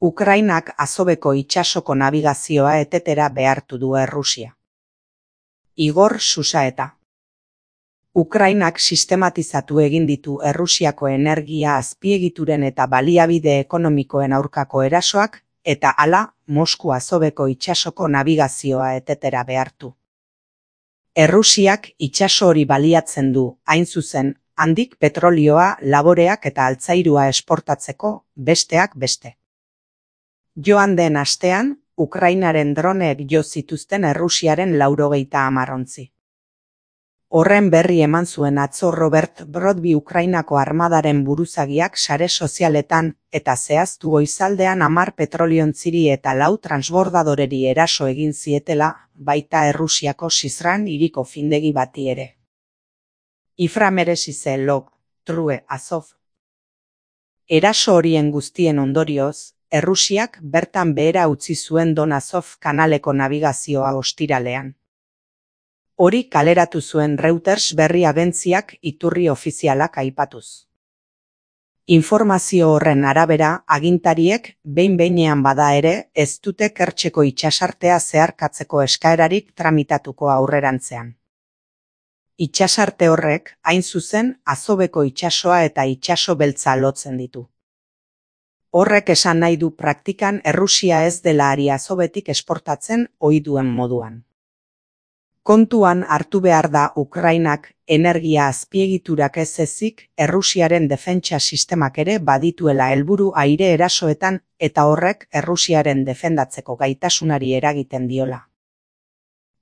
Ukrainak Azoveko itsasoko nabigazioa etetera behartu du Errusia. Igor Susaeta. Ukrainak sistematizatu egin ditu Errusiako energia azpiegituren eta baliabide ekonomikoen aurkako erasoak, eta hala, Mosku Azoveko itsasoko nabigazioa etetera behartu. Errusiak itsaso hori baliatzen du, hain zuzen, handik petrolioa, laboreak eta altzairua esportatzeko, besteak beste. Joan den astean, Ukrainaren droneek jo zituzten Errusiaren 90 ontzi. Horren berri eman zuen atzo Robert Brodby Ukrainako armadaren buruzagiak sare sozialetan, eta zehaztu goizaldean 10 petroliontziri eta 4 transbordadoreri eraso egin zietela, baita Errusiako Sizran hiriko findegi bati ere. Ifra meresize log, true Azov. Eraso horien guztien ondorioz, Errusiak bertan behera utzi zuen Don Azov kanaleko nabigazioa ostiralean. Hori kaleratu zuen Reuters berri agentziak iturri ofizialak aipatuz. Informazio horren arabera, agintariek, behin-behinean bada ere, ez dute Kertxeko itsasartea zeharkatzeko eskaerarik tramitatuko aurrerantzean. Itsasarte horrek, hain zuzen, Azoveko itsasoa eta itsaso beltza lotzen ditu. Horrek esan nahi du praktikan Errusia ez dela ari Azovetik esportatzen ohi duen moduan. Kontuan hartu behar da Ukrainak energia azpiegiturak ez ezik Errusiaren defentsa sistemak ere badituela helburu aire erasoetan eta horrek Errusiaren defendatzeko gaitasunari eragiten diola.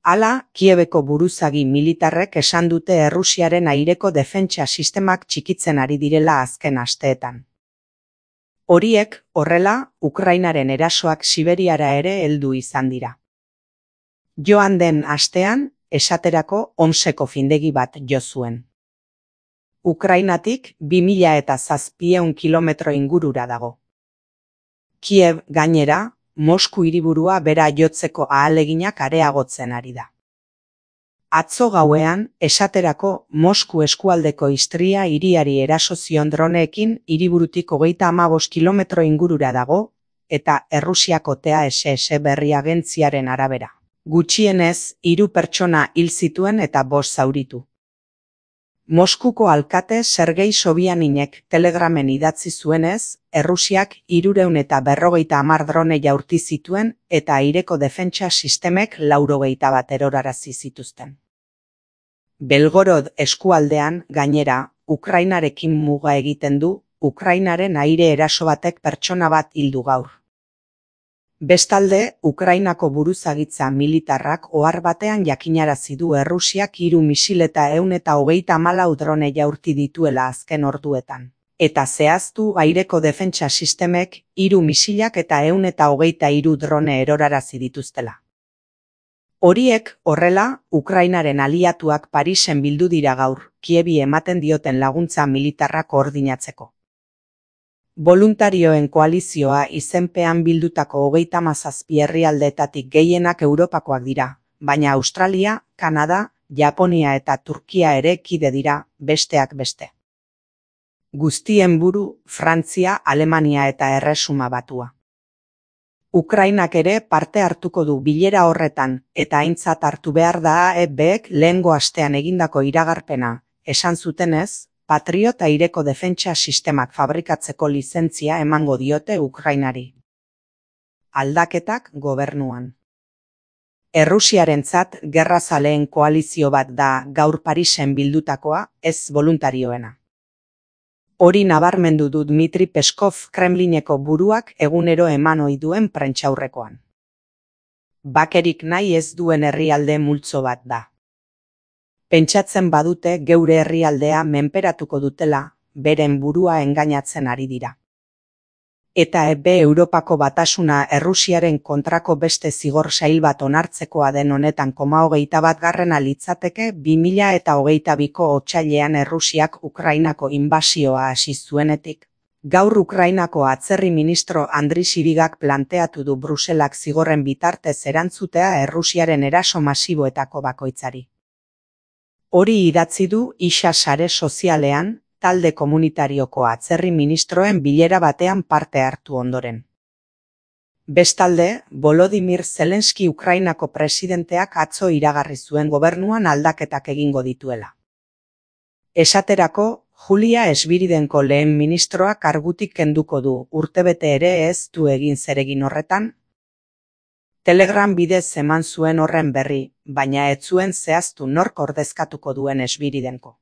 Hala, Kiebeko buruzagi militarrek esan dute Errusiaren aireko defentsa sistemak txikitzen ari direla azken asteetan. Horiek, horrela, Ukrainaren erasoak Siberiara ere heldu izan dira. Joan den astean, esaterako Omseko findegi bat jo zuen. Ukrainatik 2700 kilometro ingurura dago. Kiev gainera, Mosku hiriburua bera jotzeko ahaleginak areagotzen ari da. Atzo gauean, esaterako Mosku eskualdeko Istria hiriari eraso zion droneekin hiriburutik 35 kilometro ingurura dago, eta Errusiako TASS berri agentziaren arabera. Gutxienez, 3 pertsona hil zituen eta 5 zauritu. Moskuko alkate Sergei Sobianinek telegramen idatzi zuenez, Errusiak 350 drone jaurti zituen eta aireko defentsa sistemek 81 erorarazi zituzten. Belgorod eskualdean, gainera, Ukrainarekin muga egiten du, Ukrainaren aire eraso batek pertsona bat hildu gaur. Bestalde, Ukrainako buruzagitza militarrak ohar batean jakinarazi du Errusiak 3 misil eta 134 drone jaurti dituela azken orduetan. Eta zehaztu aireko defentsa sistemek 3 misilak eta 123 drone erorarazi dituztela. Horiek, horrela, Ukrainaren aliatuak Parisen bildu dira gaur, Kievi ematen dioten laguntza militarrak koordinatzeko. Boluntarioen koalizioa izenpean bildutako 37 herrialdeetatik gehienak Europakoak dira, baina Australia, Kanada, Japonia eta Turkia ere kide dira, besteak beste. Guztien buru, Frantzia, Alemania eta Erresuma Batua. Ukrainak ere parte hartuko du bilera horretan, eta aintzat hartu behar da AEBek lehengo astean egindako iragarpena, esan zutenez, Patriot aireko defentsa sistemak fabrikatzeko lizentzia emango diote Ukrainari. Aldaketak gobernuan. Errusiarentzat gerrazaleen koalizio bat da gaur Parisen bildutakoa, ez boluntarioena. Hori nabarmendu du Dmitri Peskov Kremlineko buruak egunero eman ohi duen prentsaurrekoan. Bakerik nahi ez duen herrialde multzo bat da. Pentsatzen badute geure herrialdea menperatuko dutela, beren burua engainatzen ari dira. Eta Europako batasuna Errusiaren kontrako beste zigor sail bat onartzekoa den honetan 21. litzateke 2022ko otsailean Errusiak Ukrainako inbasioa hasi zuenetik. Gaur Ukrainako atzerri ministro Andri Sibigak planteatu du Bruselak zigorren bitartez erantzutea Errusiaren eraso masiboetako bakoitzari. Hori idatzi du Isa sare sozialean, talde komunitarioko atzerri ministroen bilera batean parte hartu ondoren. Bestalde, Volodymyr Zelenski Ukrainako presidenteak atzo iragarri zuen gobernuan aldaketak egingo dituela. Esaterako, Julia Sviridenko lehen ministroak kargutik kenduko du, urtebete ere ez du egin zeregin horretan. Telegram bidez eman zuen horren berri, baina ez zuen zehaztu nork ordezkatuko duen Sviridenko.